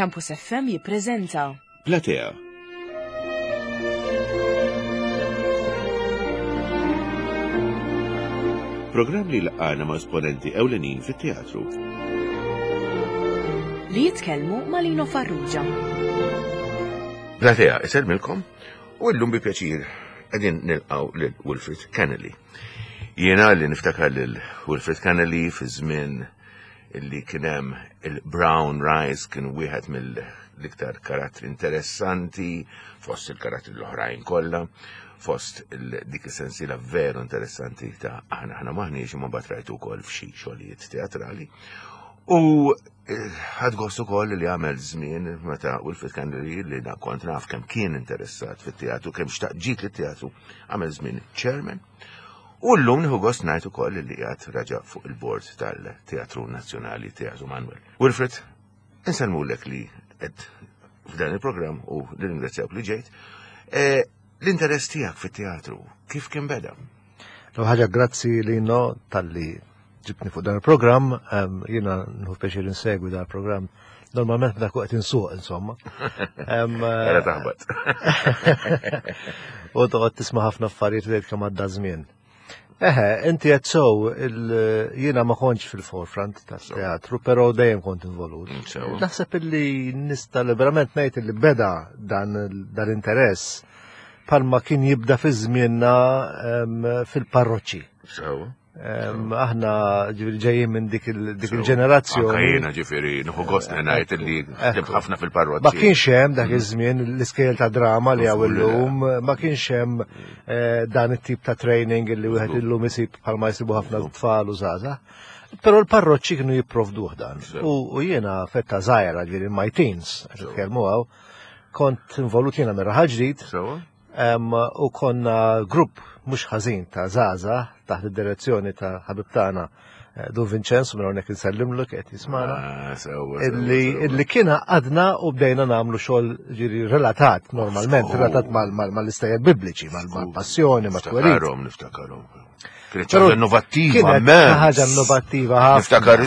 Campus FM jippreżenta. Platea. Programm li laqgħana ma' esponenti ewlenin fit-teatru. Li jitkellmu ma' Lino Farrugia. Platea, isellmilkom u llum bi pjaċir qegħdin nilqgħu lil Wilfred Kennelly. Jiena li niftakar lil Wilfred Kennelly fi żmien illi kien hemm il-Brown Rice kien wieħed mill-iktar karattri interessanti fost il-karattri l-oħrajn kollha fost dik is-sensiela veru interessanti ta' aħna aħna maħniex imma mbagħad rajtu wkoll f'xi xogħlijiet teatrali. U eh, ħad gost ukoll li għamel żmien meta Wilfred Kennedy li na kont naf kemm kien interessat fit-teatru, kemm xtaq ġit lit-teatru, għamel żmien chairman. U llum nieħu gost ngħid ukoll li qiegħed raġa' fuq il-bord tal-Teatru Nazzjonali Teatru Manuel. Wilfred, insellmulek li qed f'dan il-programm u nirringrazzjawk li ġejt. E, l-interess tiegħek fit-teatru kif kien beda? L ħaġa grazzi Lino talli ġibtni fuq dan il-programm, jiena nħu pjaċir insegwi dan il-programm. Normalment meta qed insuq insomma. Era taħbat. U toqgħod tisma' ħafna affarijiet li kemm għadda żmien. Eħe, inti qed sew jiena ma kontx fil-forefront tat-teatru, però dejjem kont involut. Mm, Naħseb illi nista' liberament ngħid illi beda dan l-interess palma kien jibda fi żmienna fil-parroċċi. Sew. Aħna ġifieri ġejjin minn dik il-ġenerazzjoni. Anka jiena ġifieri nieħu gost li ngħid li ħdimt ħafna fil-parroċċi. Ma kienx hemm dak mm. iż-żmien l-iskejjel ta' drama li hawn illum, ma kienx hemm eh, dan it-tip ta' training li wieħed illum isib bħalma jsibu ħafna tfal u żgħażagħ. Però l-parroċċi kienu jipprovduh dan. U jiena fetta żgħira ġifieri my teens, qed nitkellmu hawn, kont involut jiena minn raħal ġdid. U konna grupp mhux ħażin ta' żgħażagħ taħt id-direzzjoni ta' ħabib tagħna eh, Dun Vincenzo minn hawnhekk insellimlu qed jismana. Ah, illi kien għadna u bdejna nagħmlu xogħol ġiri relatat normalment, relatat mal-istejjer bibliċi, mal-passjoni, mat-twerid. Niftakarhom, niftakarhom. Kienet ħaġa innovattiva, Kienet ħaġa innovattiva ħafna. Niftakar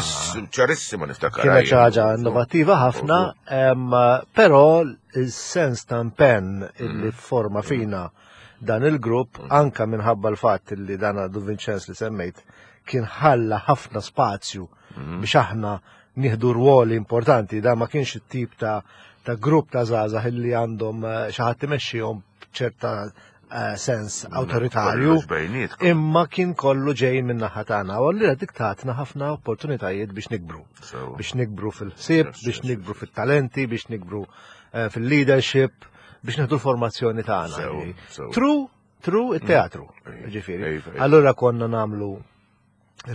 ċarissima niftakar. Kienet ħaġa innovattiva ħafna, però il-sens ta' impenn illi mm. forma mm. fina dan il-grupp, mm. anka minħabba l-fatt li dan għadu Vincenz li semmejt, kien ħalla ħafna spazju biex aħna nieħdu rwoli importanti, da ma kienx it-tip ta' ta' grupp ta' żgħażagħ illi għandhom eh, xi ħadd imexxihom ċerta eh, sens awtoritarju. Imma kien kollu ġej minn naħa tagħna u allura dik tatna ħafna opportunitajiet biex nikbru. Biex nikbru fil-ħsieb, biex nikbru fit-talenti, biex nikbru eh, fil-leadership, biex nieħdu l-formazzjoni tagħna. True, true it-teatru, mm. ġifieri. Allura konna nagħmlu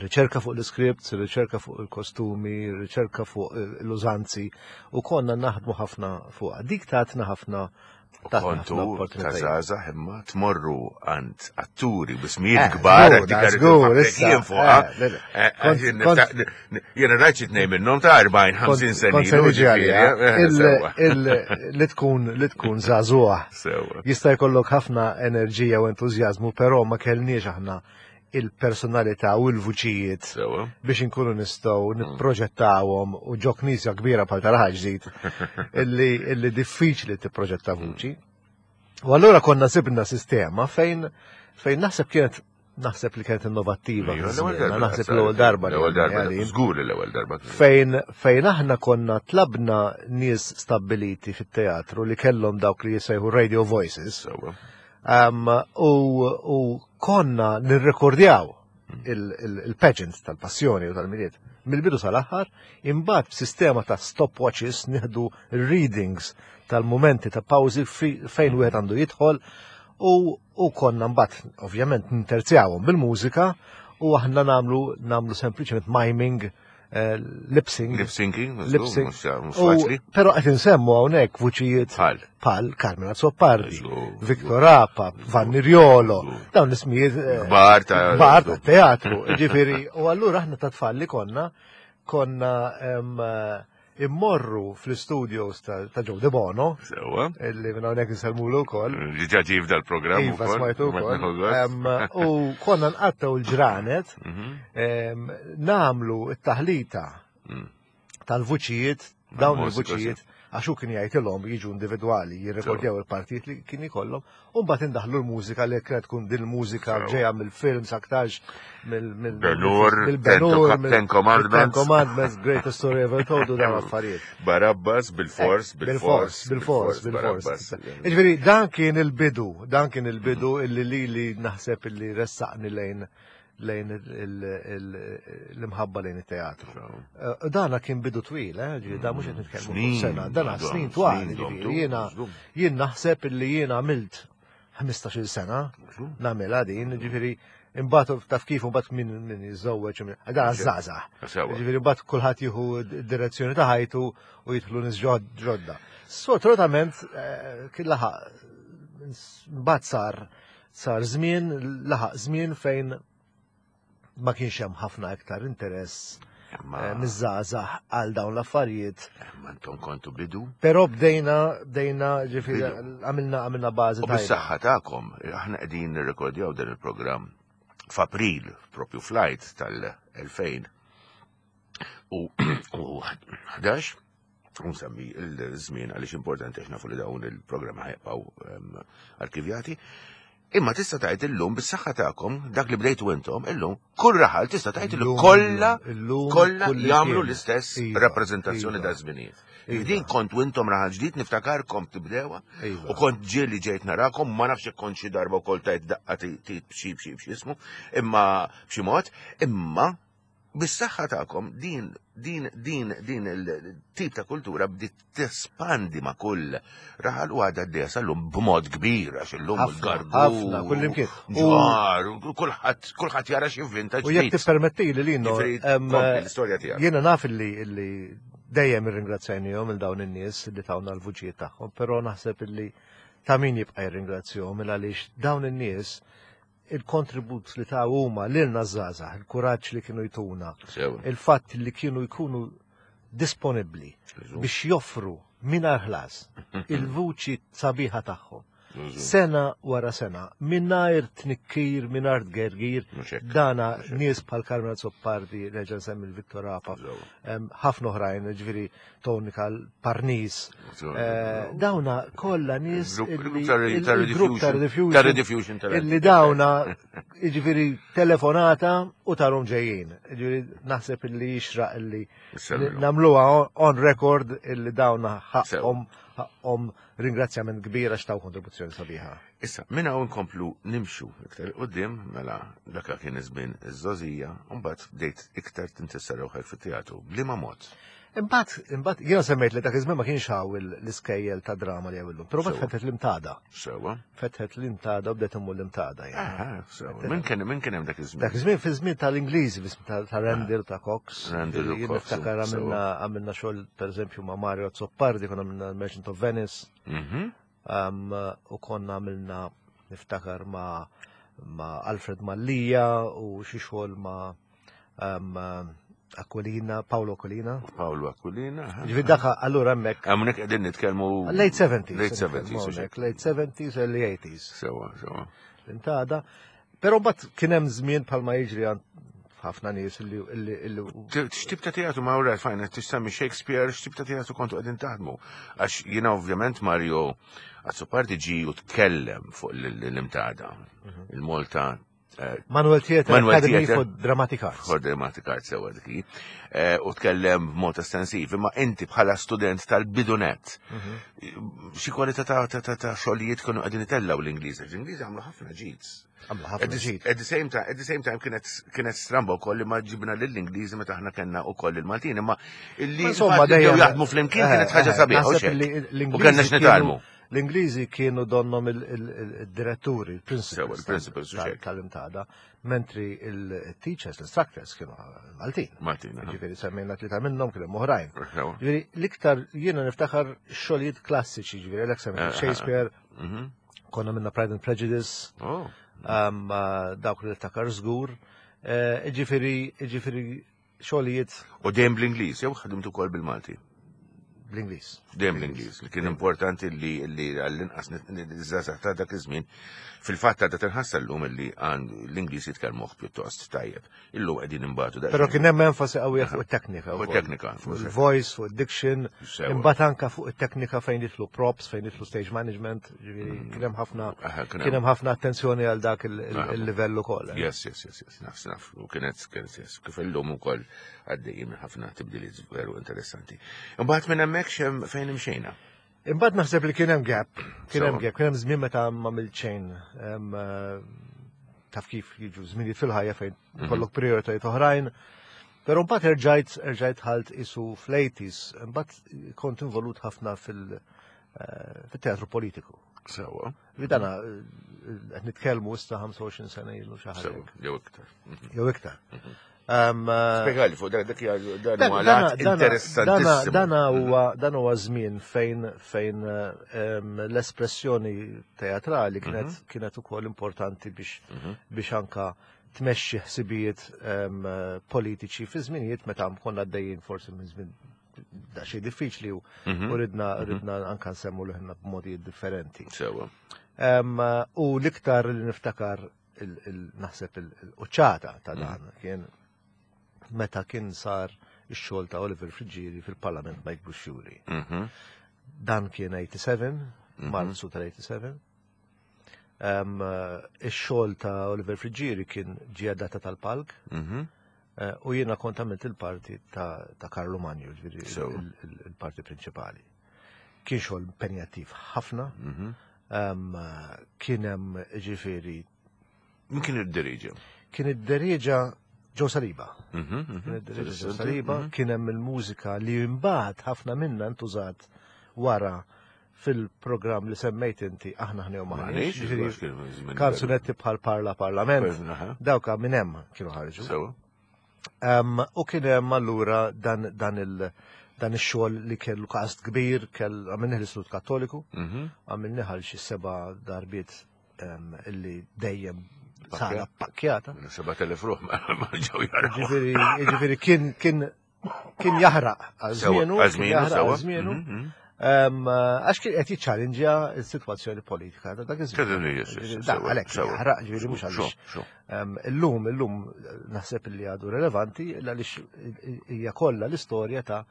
riċerka fuq l-scripts, riċerka fuq il-kostumi, riċerka fuq l-użanzi u konna naħdmu ħafna fuq. Dik tatna ħafna Kontu ta' zaza imma tmorru għand atturi bismijiet eh, kbar, jien fuqha. Eh, eh, jiena rajt xi tnejn minnhom ta' 40-50 sena. Li tkun li tkun żagħżugħ. Jista' jkollok ħafna enerġija u entużjażmu, però ma kellniex aħna il-personalità u l-vuċijiet biex inkunu nistgħu mm. nipproġettawhom u ġo knisja kbira bħal taraħ ġdid illi, illi diffiċli tipproġetta mm. vuċi. U allura konna sibna sistema fejn fejn naħseb kienet naħseb li kienet innovattiva. Naħseb l-ewwel darba. L-ewwel darba. Żgur l-ewwel darba. Fejn fejn aħna konna tlabna nies stabbiliti fit-teatru li kellhom dawk li jisejħu radio voices. Um, u, u konna nirrekordjaw il-pageant tal-passjoni u tal-miliet mill-bidu sal-aħħar, imbagħad b'sistema ta' stopwatches nieħdu readings tal-momenti ta' pawżi fejn wieħed għandu jidħol u, u konna mbagħad ovvjament ninterzjawhom bil-mużika u aħna nagħmlu nagħmlu sempliċement miming Eh, lip sync. Lip syncing, lip sync. Pero qed insemmu hawnhekk vuċijiet bħal Carmen Azzopardi, Victor Apa, Vanni Riolo, dawn l-ismijiet eh, kbar ta' kbar ta' teatru. Ġifieri, u allura aħna ta' tfal li konna konna eh, immorru fl-studios ta' Joe De Bono. Sewa. Illi minn hawnhekk insellmulu wkoll. Diġà ġie f'dal programm Iva, smajtu wkoll. U konna nqattaw l-ġranet mhm. nagħmlu t-taħlita mm. tal-vuċijiet, dawn il-vuċijiet. Għax hu kien jgħidilhom jiġu individwali jirrekordjaw il-partijiet li kien ikollhom u mbagħad indaħlu l-mużika li kienet tkun din il-mużika ġejja mill-films aktarx mill-Benur, Ten Commandments, Commandments, Greatest Story Ever Told u dawn affarijiet. Barabbas bil-fors, eh, bil-fors, bil-fors, bil-fors. Jiġifieri dan kien il-bidu, dan kien il-bidu illi li li naħseb illi ressaqni lejn lejn l-imħabba lejn it-teatru. Eh, dana kien bidu twil, eh, ġifieri da mhux qed nitkellmu sena, dana snin twal, ġifieri jiena jien naħseb illi jiena għamilt 15-il sena nagħmilha din, ġifieri imbagħad taf kif imbagħad min min jiżżewweġ dan żgħażagħ. Ġifieri mbagħad kulħadd jieħu d-direzzjoni ta' ħajtu u jidħlu nies ġodda. Sfortunatament eh, kien laħaq mbagħad sar Sar żmien, laħaq żmien fejn ma kienx hemm ħafna iktar interess eh, miż-żgħażagħ għal dawn l-affarijiet. Ma intom kontu bidu. Però bdejna, bdejna ġifieri għamilna għamilna bażi tajba. Bis-saħħa tagħkom, aħna qegħdin nirrekordjaw dan il-programm f'April, propju flight tal-2000 u 11 Unsemmi il-żmien għaliex importanti għax nafu li dawn il-programmi ħajbqgħu ehm, arkivjati. Imma tista' tgħid illum bis-saħħa tagħkom dak li bdejtu intom illum kull raħal tista' tgħid li kollha kollha jagħmlu l-istess iva, rappreżentazzjoni iva. ta' żminijiet. Iva. Din kont intom raħal ġdid niftakarkom tibdewha u kont ġieli ġejt narakom ma nafx kont xi darba wkoll tajt daqqa b'xi b'xi b'xi ismu imma b'xi mod imma Bis-saħħa tagħkom din din din din il-tip ta' kultura bdiet tespandi ma' kull raħal u għadha għaddejja sal-lum b'mod kbir għax illum il-gargu. Ħafna, kullimkien. Ġar, kulħadd kulħadd jara xi vinta U jekk tippermetti li lino. L-istorja tiegħek. Jiena naf illi illi dejjem irringrazzjajnihom il dawn in-nies li tawna l-vuċijiet tagħhom, però naħseb illi ta' min jibqa' jirringrazzjahom il għaliex dawn in-nies il-kontribut li ta' huma lilna żgħażagħ, il-kuraġġ li kienu jtuna, il-fatt li kienu jkunu disponibbli biex joffru mingħajr ħlas il-vuċi sabiħa tagħhom. Sena wara sena, mingħajr tnikkir, mingħajr tgergir, dana nies bħal Carmen Zoppardi, nerġa' nsemmi l-Vittor Apa, ħafna oħrajn, ġifieri Tony Parnis. Eh, dawna kollha nies il-grupp ta' Rediffusion illi dawna jiġifieri telefonata u tarum ġejjin. Jiġifieri naħseb illi jixraq illi nagħmluha on record illi dawna ħaqhom ħaqhom ringrazzjament kbir għax taw kontribuzzjoni sabiħa. Issa, minn hawn nkomplu nimxu iktar qudiem mela dak kien iż-żmien iż-żogħżija, u mbagħad bdejt iktar tinteressa ruħek fit-teatru. B'liema mod? Imbagħad, imbagħad jiena semmejt li dak iż-żmien ma kienx hawn l-iskejjel ta' drama li hawn illum, però mbagħad fetħet l-imtada. Sewa. Fetħet l-imtada u bdejt immur l-imtada. Sewa. Min kien min kien hemm dak iż-żmien? Dak iż-żmien fi żmien tal-Ingliżi, fi żmien ta' Randall ta' Cox. Randall u Cox. Niftakar għamilna għamilna xogħol pereżempju ma' Mario Azzopardi, konna għamilna Merchant of Venice. Mhm. U konna għamilna niftakar ma' ma' Alfred Mallia u xi xogħol ma' Aquilina, Paolo Aquilina. Paolo Aquilina. Ġifieri dak allura hemmhekk. Hawnhekk qegħdin nitkellmu. Late 70s. Late 70s. Late 70s, early 80s. Sewa, sewa. Intada. Però mbagħad kien hemm żmien bħalma jiġri ħafna nies li. X'tip ta' teatru ma' ura fajn qed tissemmi Shakespeare, x'tip ta' teatru kontu qegħdin taħdmu? Għax jiena ovvjament Mario Azzopardi ġi u tkellem fuq l-imtada. Mhm. Il-Malta eh, Manuel Theatre Manuel Academy for Dramatic Arts. For Dramatic Arts sewa dik. Eh, u tkellem b'mod estensiv, imma inti bħala student tal-bidunet, mhm. xi kwalità ta' xogħlijiet kienu qegħdin itellgħu l-Ingliż. L-Ingliż għamlu ħafna ġid. Għamlu ħafna ġid. At the same time, at the same time kienet kienet stramba wkoll li ma ġibna lill-Ingliżi meta aħna kellna wkoll il-Maltin, imma illi Insomma, dejjem jaħdmu flimkien eh, kienet ħaġa eh, sabiħa. U kellna x'nitgħallmu. L-Ingliżi kienu donnom il-diretturi, il-principals tal-imtada, mentri il-teachers, l-instructors kienu Maltin. Maltin. Ġifieri semmejna tlieta minnhom kien hemm oħrajn. Ġifieri l-iktar jiena niftakar xogħlijiet klassiċi, ġifieri l semmejna eh, Shakespeare, mhm. Konna minna Pride and Prejudice, oh. um, uh, dawk li takar żgur. Eh, ġifieri, ġifieri xogħlijiet. U dejjem bl-Ingliż, jew ħadimtu wkoll bil-Malti? Bl-Ingliż. Dejjem l-Ingliż, li kien importanti li li għall-inqas iż-żgħażagħ ta' dak iż-żmien fil-fatt ta' tinħassa llum li għand l-Ingliż jitkellmuh pjuttost tajjeb. Illum qegħdin imbagħtu Però kien hemm enfasi qawwija fuq it-teknika. Fuq it-teknika. Fuq il-voice, fuq id-diction, imbagħad anka fuq it-teknika fejn jidħlu props, fejn jidħlu stage management, ġifieri mm. kien hemm ħafna kien hemm ħafna attenzjoni għal dak il-livell ukoll. Eh. Yes, yes, yes, yes, naf, naf. U kienet, kienet, yes, kif illum ukoll għaddejjin minn ħafna tibdiliet veru interessanti. Imbagħad minn hemmhekk xem fejn imxejna. Imbagħad naħseb li kien hemm gap, kien hemm gap, kien hemm żmien meta ma xejn eh, taf kif jiġu żminijiet fil-ħajja fejn mhm. kollok prioritajiet oħrajn. Però mbagħad erġajt erġajt ħalt isu fl-80s, imbagħad kont involut ħafna fil- eh, fit-teatru politiku. Sewa. Li dana eh, qed nitkellmu issa 25 sena ilu xi ħaġa. Jew iktar. Mhm. Jew iktar. Mhm. Eh, Spjegali fuq dak dak dan huwa interessantissimu. Dan huwa dan huwa żmien fejn fejn l-espressjoni teatrali kienet mhm. kienet ukoll importanti biex mhm. biex anka tmexxi ħsibijiet politiċi fi żminijiet meta konna għaddejjin forsi minn żmien da xi diffiċli u mhm. ridna ridna anka nsemmu liħna b'modi differenti. Sewa. U l-iktar li niftakar naħseb il-quċċata ta' mm. dan kien meta kien sar ix-xogħol ta' Oliver Friggieri fil-Parlament Mike Buxxuri. Mhm. Dan kien 87, mhm. Marzu tal-87. Ix-xogħol ta' Oliver Friggieri kien ġie data tal-palk. Mhm. Eh, u jiena kont għamilt il-parti ta' Karlu Manju, ġifieri il-parti prinċipali. Kien xogħol impenjattiv ħafna, mhm. kien hemm ġifieri. Min kien id-diriġa? Kien id-diriġa Ġo Saliba. Mhm, mhm. Kien id-diriġa Ġo Saliba, kien hemm il-mużika li mbagħad ħafna minna ntużat wara fil-programm li semmejt inti aħna ħnew maħniex. Kanzunetti bħal Parla Parlament, dawka minn hemm kienu ħarġu. U kien hemm allura dan dan il- dan ix-xogħol li kellu kast kbir, kell għamilni l-Istitut Kattoliku, mhm. għamilni ħal xi seba' darbiet illi dejjem sala pakkjata. 7000 ruħ ma ġew jaraw. Ġifieri kien kien kien jaħraq għal żmienu, għal żmienu. Mhm, mhm. Għax kien qed jiċċalinġja s-sitwazzjoni politika ta' dak iż-żmien. Dak għalhekk jaħraq ġifieri mhux għaliex. Illum illum naħseb li għadu relevanti għaliex hija kollha l-istorja ta'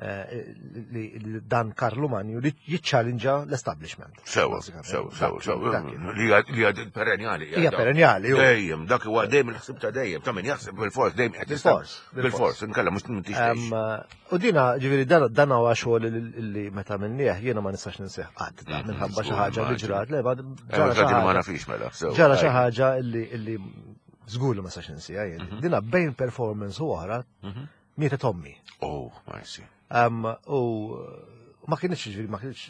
Eh, li dan Karlu Manju li jiċċalinġa l-establishment. Sewa, sewa, sewa, sewa. Li għad perenjali. Hija perenjali. Dejjem, dak huwa dejjem il-ħsib ta' dejjem, ta' min jaħseb bil-fors, dejjem qed Bil-fors. Bil-fors, inkella mhux m'intix U dina, ġifieri dan huwa xogħol li meta minnieh jiena ma nistax ninsih qatt mm, minħabba xi ħaġa li ġrat, le ġara xi ħaġa. Ma nafix mela. Ġara xi ħaġa li żgur li ma nistax ninsieha jien. Mhm. Dina bejn performance u oħra mhm. Mietet ommi. Oh, I see. Um, u ma kienx ġifieri ma kienx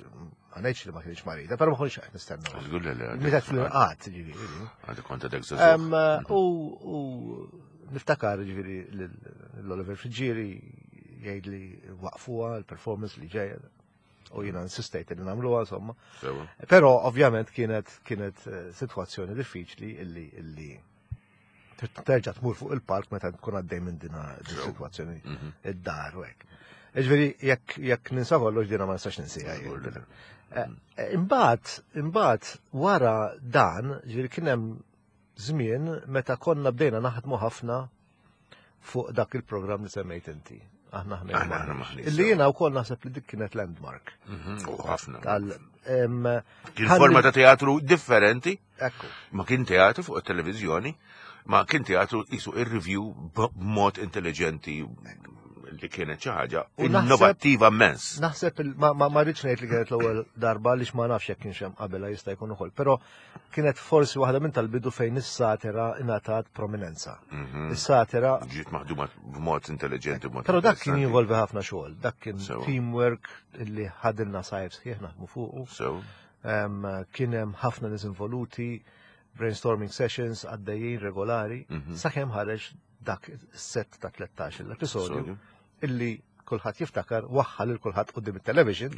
ma ngħidx li ma kienx marida, però ma konniex qed nistennu. Żgur li le. Mietet fl-inqat ġifieri. Għadu kont għadek U niftakar ġifieri l-Oliver Friggieri jgħid li waqfuha l-performance li ġejja u jiena insistejt li nagħmluha insomma. Però ovvjament kienet kienet eh, sitwazzjoni diffiċli illi illi terġa' tmur fuq il-palk meta tkun għaddej minn din is-sitwazzjoni mhm. id-dar u hekk. Ġifieri jekk jekk ninsa kollox dina ma nistax ninsija. Eh, eh, imbagħad, imbagħad wara dan, ġifieri kien hemm żmien meta konna bdejna naħdmu ħafna fuq dak il-programm li semmejt inti. Aħna ħna Illi jiena wkoll naħseb li dik kienet landmark. Mhm, u ħafna. Kien forma ta' teatru differenti. Ekku. Ma kien teatru fuq it-televiżjoni, ma kien teatru jisu ir-review b'mod intelligenti li kienet xi ħaġa innovattiva immens. Naħseb ma ma rridx ngħid li kienet l-ewwel darba għaliex ma nafx jekk kienx hemm qabelha jista' jkun ukoll, però kienet forsi waħda minn tal-bidu fejn is-satira ingħatat prominenza. Mhm. Is-satira ġiet maħduma b'mod intelligenti b'mod. Però dak kien jinvolvi ħafna xogħol, dak kien teamwork li ħadilna sajf sħiħ naħdmu fuqu. Kien hemm ħafna nies involuti, brainstorming sessions għaddejjin regolari, mhm. sakemm ħareġ dak set ta' 13 l-episodju illi kulħadd jiftakar waħħal il kulħadd qudiem it-television.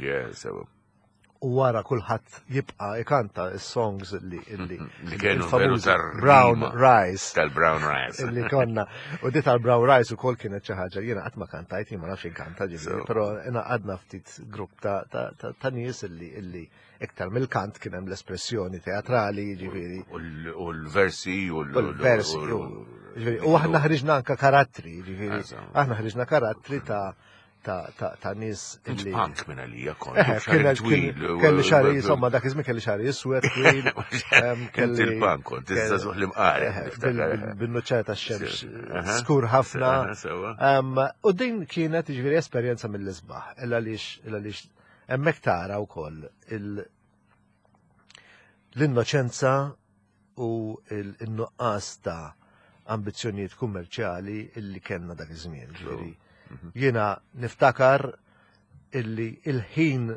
U wara kulħadd jibqa' ikanta s-songs li li li kienu veru Brown Rice. Tal-Brown Rice. Li konna. U di tal-Brown Rice ukoll kienet xi ħaġa jiena qatt ma kantajt, jien ma nafx inkanta ġifieri, però għadna ftit grupp ta' nies illi illi iktar mill-kant kien hemm l-espressjoni teatrali, ġifieri. U l-versi u l-versi. U aħna ħriġna anka karattri, ġifieri. Aħna ħriġna karattri ta' ta' nies illi. Punk minn għalija kont. Kelli xari, insomma, dak iż-żmien kelli xari iswed twil. Kelli il-punk kont, iżda zuħ li mqar. Bin-nuċċar ta' xemx skur ħafna. U din kienet ġifieri esperjenza mill-isbaħ, illa għaliex hemmhekk tara wkoll l-innoċenza u l-nuqqas ta' ambizzjonijiet kummerċjali illi kellna dak iż-żmien. Ġifieri mhm. jiena niftakar illi il-ħin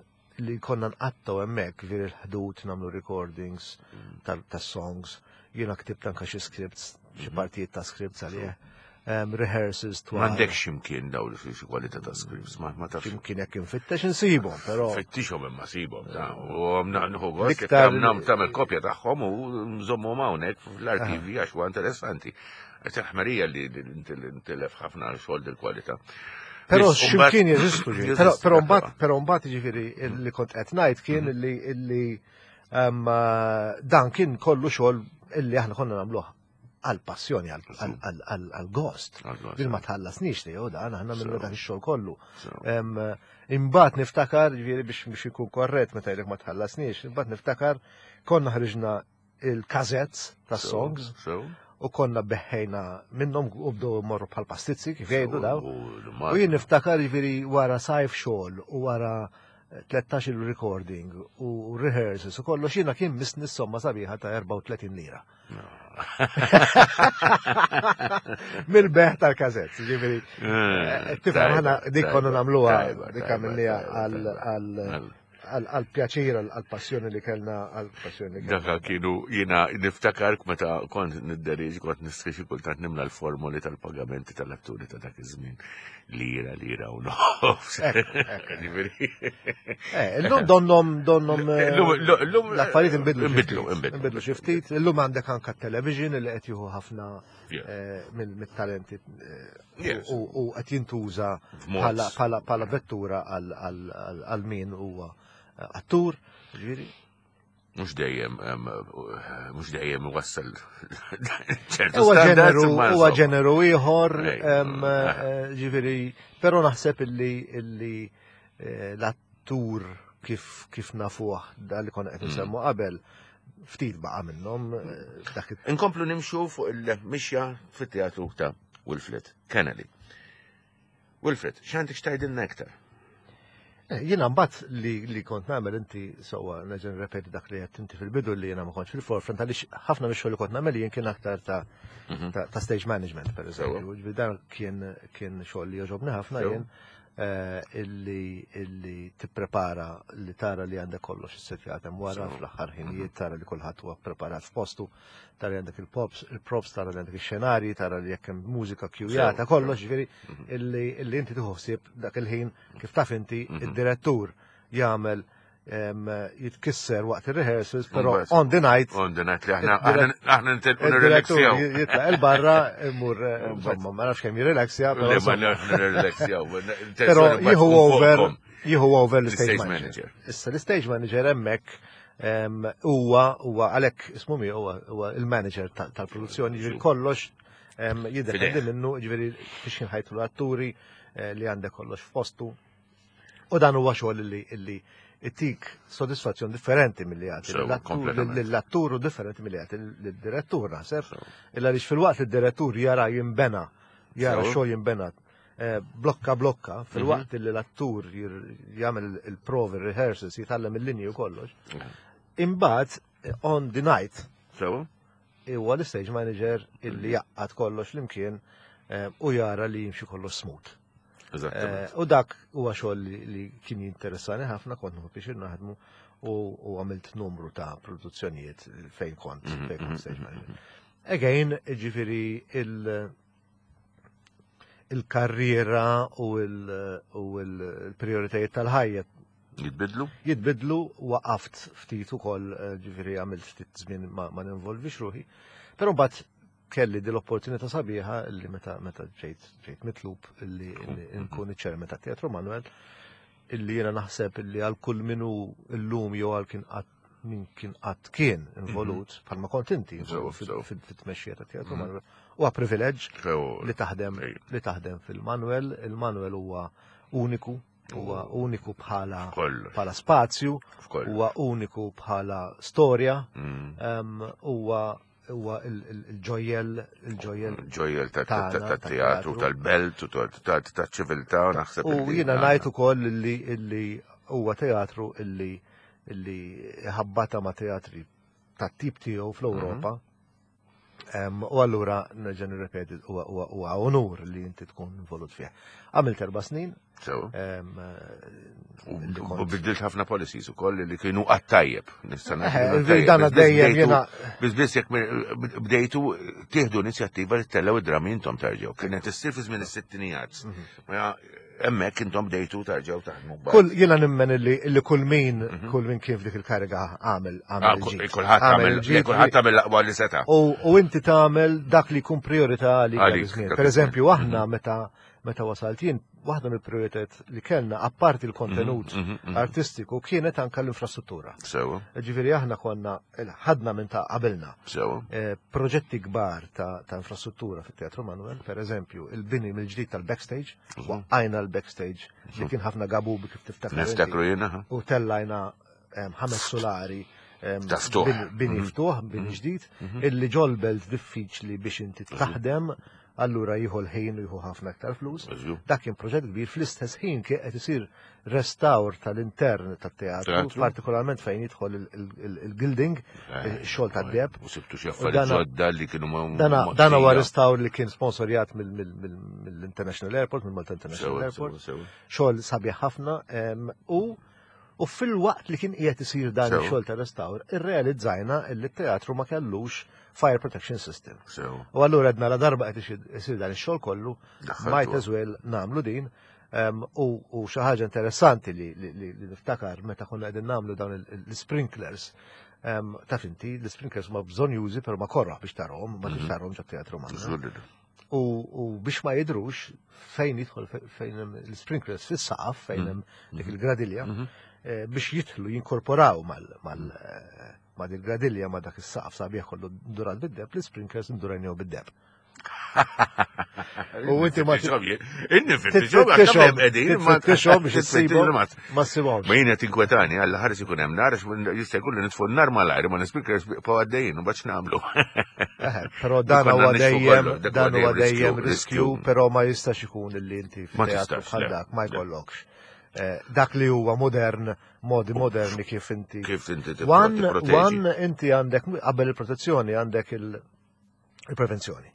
li konna nqattaw hemmhekk ġifieri l-ħdud nagħmlu recordings mm. tas-songs, jiena ktibt anke xi scripts, xi mhm. partijiet ta' scripts għalih rehearsals twal. M'għandekx x'imkien daw li xi kwalità ta' scripts, ma ma tafx. X'imkien jekk infittex insibhom, però. Fittixhom imma sibhom ta' u nieħu gost tagħmel kopja tagħhom u nżommhom hawnhekk fl-arkivi għax huwa interessanti. Għax il-ħmerija li ntilef ħafna xogħol dil-kwalità. Però x'imkien jeżistu ġifieri. Però mbagħad però mbagħad jiġifieri li kont qed ngħid kien mm. li illi dan kien kollu xogħol illi aħna konna nagħmluh għal-passjoni, għal-gost. Din ma tħallasniex li dan, aħna minnu dak ix-xogħol kollu. Imbagħad niftakar, ġifieri biex biex ikun korrett meta jgħidlek ma tħallasniex, imbagħad niftakar konna ħriġna il-cassettes ta' songs u konna beħħejna minnhom u bdew morru bħal pastizzi kif jgħidu daw. U jien niftakar ġifieri wara sajf xogħol u wara 13 il-recording u rehearsals u kollox jiena kien misni somma sabiħa ta' 34 lira. Mill-beħ tal-kazett, ġifiri. Eh, eh, tifhem, ħana dik konna namluha, dik għamilniha għal-pjaċir, għal-passjoni li kellna, għal-passjoni li kellna. Daka kienu jina niftakar meta kont nidderieġ, kont nistri xi kultant nimla l-formoli tal-pagamenti tal-atturi ta' dak iż-żmien. Lira, lira u nofs. Eh, illum donnom, donnom. Eh, l-affarijiet inbidlu. Inbidlu, inbidlu. Inbidlu xi ftit. Illum għandek anka television li qed jieħu ħafna eh, mit-talenti u qed jintuża bħala vettura għal min huwa attur. Ġifieri. Mhux dejjem mhux dejjem iwassal ċertu standards. Huwa ġeneru ieħor, eh, ġifieri, però naħseb illi illi eh, l-attur kif kif nafuh dal li konna qed mm. nsemmu qabel ftit baqa' minnhom eh, dak Inkomplu nimxu fuq il-mixja fit-teatru ta' Wilfred Kennedy. Wilfred, x'għandek x'tgħidilna iktar? Eh, jiena mbagħad li, li kont nagħmel inti sewwa nerġa' nirrepeti dak li qed inti fil-bidu li jiena ma kontx fil-forefront għaliex ħafna mix-xogħol li kont nagħmel jien kien aktar ta' mhm. ta, ta stage management pereżempju. Ġifieri dan kien kien xogħol li jogħġobni ħafna jien eh, illi illi tipprepara li tara li għandek kollox is-setjat hemm wara fl-aħħar ħinijiet mhm. tara li kulħadd huwa preparat f'postu tara li għandek il-pops, il-props, tara li għandek il-xenarji, tara li jekk hemm mużika kjujata, kollox, ġifieri mhm. illi inti tieħu ħsieb dak il-ħin kif taf inti mhm. id-direttur jagħmel jitkisser waqt il-rehearsals, pero on the night. On the night li aħna aħna nitilqu nirrelaxjaw. Jitlaq il-barra, imur, insomma, ma nafx kemm jirrelaxja. Pero jieħu over, jieħu over l-stage manager. Issa l-stage manager hemmhekk Huwa huwa għalhekk ismu miegħu huwa il-manager tal-produzzjoni, ġifieri kollox jiddependi minnu, ġifieri biex jinħajtu l-atturi eh, li għandek kollox f'postu. U dan huwa xogħol li illi itik sodisfazzjon differenti mill-li jagħti l-attur u differenti mill-li jagħti l-direttur naħseb. Illa li fil-waqt li d-direttur jara jimbena, jara xogħol jimbena Eh, blokka blokka, mhm. fil-waqt li l-attur jagħmel il-provi, il-rehearsals, jitgħallem il-linji u kollox. Mhm. Imbagħad eh, on the night. Huwa l-stage manager illi mhm. jaqqad kollox flimkien eh, u jara li jimxi kollox smooth. U dak huwa xogħol li kien jinteressani ħafna kont nieħu biex naħdmu u għamilt numru ta' produzzjonijiet fejn kont fejn kont stage manager. Again, ġifieri il- il-karriera u l-prioritajiet tal-ħajja. Jitbidlu? Jitbidlu, waqaft ftit ukoll, eh, ġifieri għamilt ftit żmien ma, ma ninvolvix ruħi. Però mbagħad kelli din l-opportunità sabiħa li meta meta ġejt ġejt mitlub li nkun iċ-chairman tat-Teatru Manuel illi jiena naħseb illi għal kull minu llum jew għal kien qatt min kien qatt kien involut mhm. bħalma kont inti fit-tmexxija ta' teatru mhm. Manuel. Huwa privileġġ li taħdem li taħdem fil-Manuel. Il-Manuel huwa uniku, huwa uniku bħala bħala spazju, huwa uniku bħala storja, mm. huwa huwa il-ġojjel il-ġojjel ġojjel tat-teatru tal-belt u taċ-ċiviltà naħseb. U jiena ngħid ukoll li huwa teatru illi illi ħabbata ma' teatri tat-tip tiegħu fl-Ewropa. Mhm. U allura nerġa' nirrepeti huwa onur li inti tkun involut fih. Għamilt erba' snin. Sew. U biddilt ħafna policies ukoll li kienu għat-tajjeb. Nista' eh, Dan dejjem jiena. Biss biss jekk bdejtu tieħdu inizjattiva li tellgħu id-drammi intom tarġgħu. Kienet issir fi żmien is-sittinijiet. Mhm. Hemmhekk intom bdejtu tarġgħu taħdmu. Kull jiena nemmen illi kull min mhm. kull min kien f'dik il-kariga għamel għamel. Ah, kulħadd għamel kulħadd għamel l-aqwa li seta'. U inti tagħmel dak li jkun priorità għalik. Per eżempju aħna mhm. meta meta wasalt jien, waħda mill-prioritajiet li kellna, apparti l-kontenut mhm, mhm, mhm. artistiku, kienet anka l-infrastruttura. Sewa. Ġifieri aħna konna ħadna minn ta' qabilna. Sewa. Eh, proġetti kbar ta', ta infrastruttura fit-Teatru Manuel, per eżempju, il-bini mill-ġdid tal-backstage, waqqajna l-backstage li kien ħafna gabu kif tiftakar. Niftakru jiena. U tellajna ħames solari bini ftuħ, bini ġdid, illi ġolbelt diffiċli biex inti taħdem allura jieħu l-ħin u jieħu ħafna aktar flus. Dak kien proġett kbir fl-istess ħin kien qed isir restawr tal-intern tat-teatru, partikolarment fejn jidħol il-gilding, eh, ix-xogħol tad-deb. U sibtu xi affarijiet ġodda li kienu ma. Dan huwa restawr li kien sponsorjat mill-International Airport, mill-Malta International Airport. Xogħol sabiħ ħafna u U fil-waqt li kien qiegħed isir dan ix-xogħol ta' restawr, irrealizzajna li t-teatru ma kellux fire protection system. U allura għedna la darba qed isir dan ix-xogħol kollu, might as well nagħmlu din. U xi ħaġa interessanti li niftakar meta konna qegħdin nagħmlu dawn l-sprinklers, taf inti, l-sprinklers ma bżonn jużi però ma korroħ biex tarhom, ma tix mhm. tarhom ġat-teatru magħna. U biex ma jidrux fejn jidħol fejn hemm l-sprinklers fis-saqaf fejn mm. hemm dik il-gradilja mm-hmm. eh, biex jidħlu jinkorporaw mal mal eh, ma dik gradilja ma dak is-saqaf sabiħ kollu durat bid-deb, l-sprinklers ndurajnew bid-deb. U inti ma Tixom biex issibhom ma ssibhomx. Ma jien qed inkwetani għal ħares ikun hemm nar jista' jkun li nitfu n-nar malajr ma nispikers bqgħu għaddejjin u baċ nagħmlu. Però dan huwa dejjem dan huwa dejjem riskju, però ma jistax ikun li inti f'teatru bħal dak ma jkollokx. Eh, dak li huwa modern, modi moderni kif inti. Kif inti One inti għandek qabel il-protezzjoni għandek il- il-prevenzjoni.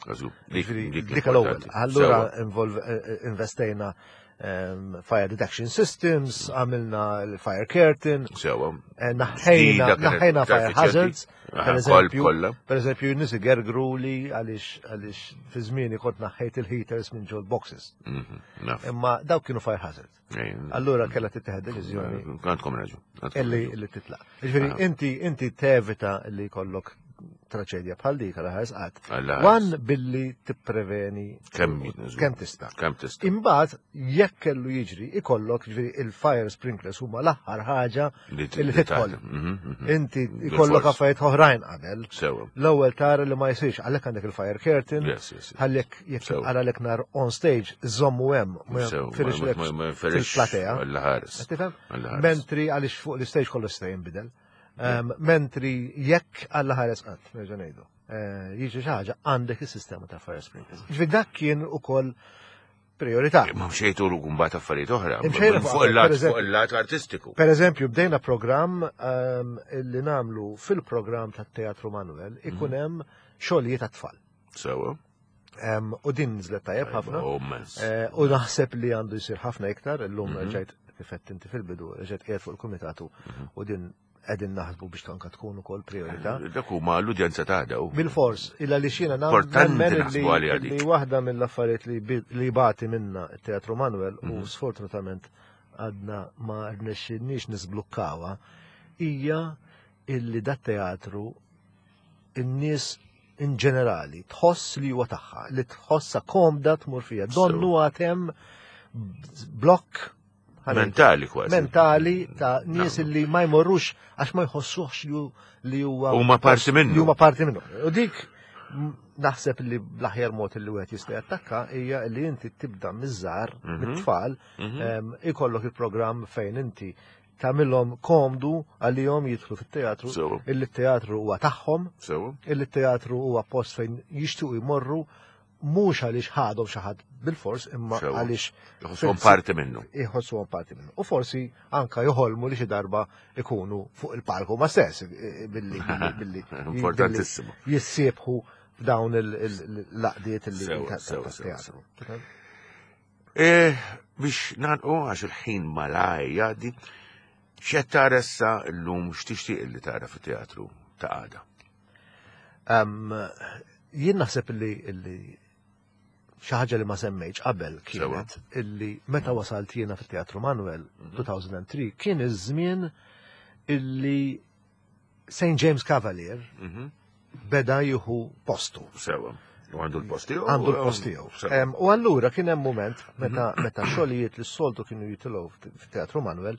Dik l-ewwel. Allura eh, eh, investejna ehm, fire detection systems, għamilna l-fire curtain, eh, naħħejna naħħejna fire hazards, per eżempju, per eżempju, nisi gergru li għaliex għaliex fi żmieni kont naħħejt il-heaters minn ġol boxes. Mhm, Imma dawk kienu fire hazards. Allura kellha tittieħed deċiżjoni. Għandkom raġun. Illi illi titlaq. Ġifieri ah. inti inti tevita li jkollok traċedja bħal dik għal ħares qatt. Wan billi tippreveni kemm tista'. Kemm tista'. Imbagħad jekk kellu jiġri ikollok ġifieri il-fire sprinklers huma l-aħħar ħaġa li tidħol. Mhm, mhm. Inti jkollok affarijiet oħrajn qabel. L-ewwel tara li ma jsirx għalhekk għandek il-fire curtain, għalhekk jekk għalek nar on stage żommu hemm ma firix fil-platea. Tifhem? Mentri għaliex fuq l-stage kollu jista' jinbidel. Mentri jekk għalla ħares qatt, nerġa' ngħidu. Eh, jiġi xi ħaġa għandek is-sistema ta' fire sprinklers. Ġifieri dak kien ukoll priorità. Ma mxejtu l mbagħad affarijiet oħra. Fuq il-lat fuq il-lat artistiku. Per eżempju, bdejna programm ehm, li namlu fil-programm tat-Teatru Manuel ikun mhm. hemm xogħlijiet għat-tfal. Sewa. Ehm, u din nżlet tajjeb ħafna. Eh, u naħseb li għandu jsir ħafna iktar, illum mhm. ġejt kif inti fil-bidu, ġejt qiegħed fuq il-kumitatu mhm. u din qegħdin naħsbu biex tanka tkun ukoll priorità. Eh, dak huma l-udjenza ta' daw. Bil-fors, illa li xina nemmen li waħda mill-affarijiet li bati minna t-Teatru Manuel u mhm. sfortunatament għadna ma rnexxinniex nisblukkawha hija illi dat teatru in-nies in ġenerali tħoss li huwa tagħha, li tħossha komda tmur fiha. Donnu għad hemm blokk Mentali kważi. Mentali ta' nies li ma jmorrux għax ma jħossuhx li huwa. Huma parti minnu. Li huma parti minnu. U dik naħseb li bl-aħjar mod li wieħed jista' jattakka hija li inti tibda miż-żgħar mit-tfal ikollok il-programm fejn inti tagħmilhom komdu għalihom jidħlu fit-teatru, illi t-teatru huwa tagħhom, illi t-teatru huwa post fejn jixtiequ jmorru mhux għaliex ħadhom xi ħadd bilfors imma għaliex Iħossuhom parti minnu. Iħossuhom parti minnu. U forsi anka joħolmu li xi darba ikunu fuq il-palku ma stess billi billi Importantissimu. Jissiebħu f'dawn il-laqdiet li teatru. E, biex nagħlqu għax il-ħin malaj jgħaddi, x'qed tara issa llum x'tixtieq li tara fit-teatru ta' għada? Jien naħseb li xi ħaġa li ma semmejtx qabel kienet illi meta wasalt jiena fit-Teatru Manuel 2003 mhm. kien iż-żmien illi St. James Cavalier mhm. beda jieħu postu. Sewa. U għandu l-post tiegħu. Għandu l-post tiegħu. U allura kien hemm mument meta mhm. meta xogħlijiet li s-soltu kienu jitilgħu fit-Teatru Manuel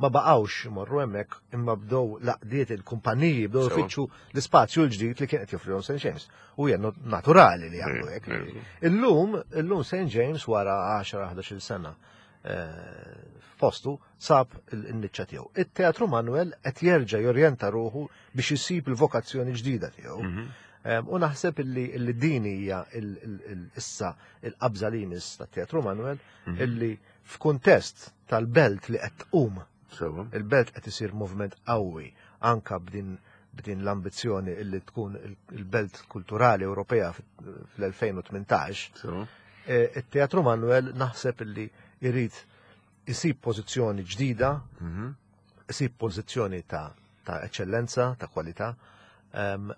ma baqgħux imorru hemmhekk imma bdew laqdiet il-kumpaniji bdew ifittxu l-ispazju l-ġdid li kien qed joffrihom St. James. U hija naturali li jagħmlu hekk. Illum, illum St. James wara 10-11 sena eh, f'postu sab il-niċċa tiegħu. It-Teatru Manuel qed jerġa' jorjenta ruħu biex isib il-vokazzjoni ġdida tiegħu. Mhm. U naħseb illi din hija issa il-qabża li jmiss tat-Teatru Manuel mhm. illi f'kuntest tal-belt li qed tqum. Il-belt qed isir moviment qawwi anka b'din b'din l-ambizzjoni illi tkun il-belt kulturali Ewropea fl-2018. E, it-Teatru Manuel naħseb illi jrid isib pożizzjoni ġdida, mhm. isib pożizzjoni ta' ta' eċċellenza, ta' kwalità,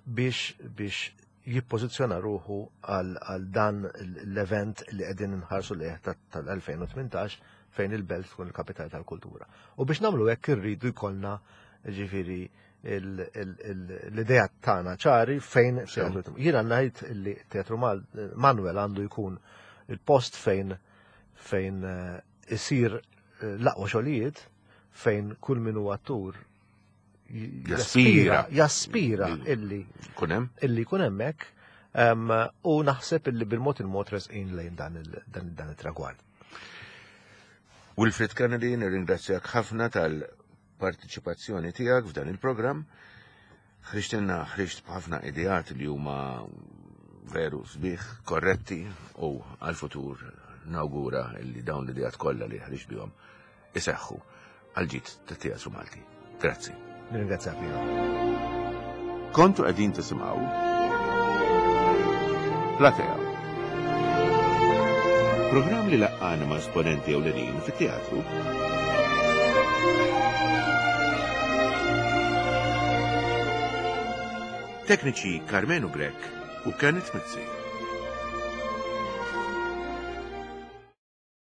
biex biex jippożizzjona ruħu għal dan l-event li qegħdin nħarsu lejh tal-2018 fejn il-belt tkun il-kapitali tal-kultura. U biex nagħmlu hekk irridu jkollna ġifieri l-idea tagħna ċari fejn Jiena ngħid li Teatru Manuel għandu jkun il-post fejn fejn eh, isir eh, l-aqwa xogħlijiet fejn kull min huwa attur jaspira jaspira illi kunem illi jkun hemmhekk u naħseb illi bil-mod il-mod resqin lejn dan il-tragward. Wilfred Kennedy, nirringrazzjak ħafna tal-partiċipazzjoni tiegħek f'dan il-programm. Ħriġtilna ħriġt b'ħafna ideat li huma veru sbieħ, korretti u għal-futur nawgura li dawn l-ideat kollha li ħriġt bihom iseħħu għal ġid tat-teatru Malti. Grazzi. Nirringrazzjak lilek. Kontu qegħdin tisimgħu Platea. Programm li laqqana ma' esponenti ewlenin fit-teatru. Tekniċi Karmenu Grech u Kenneth Mizzi.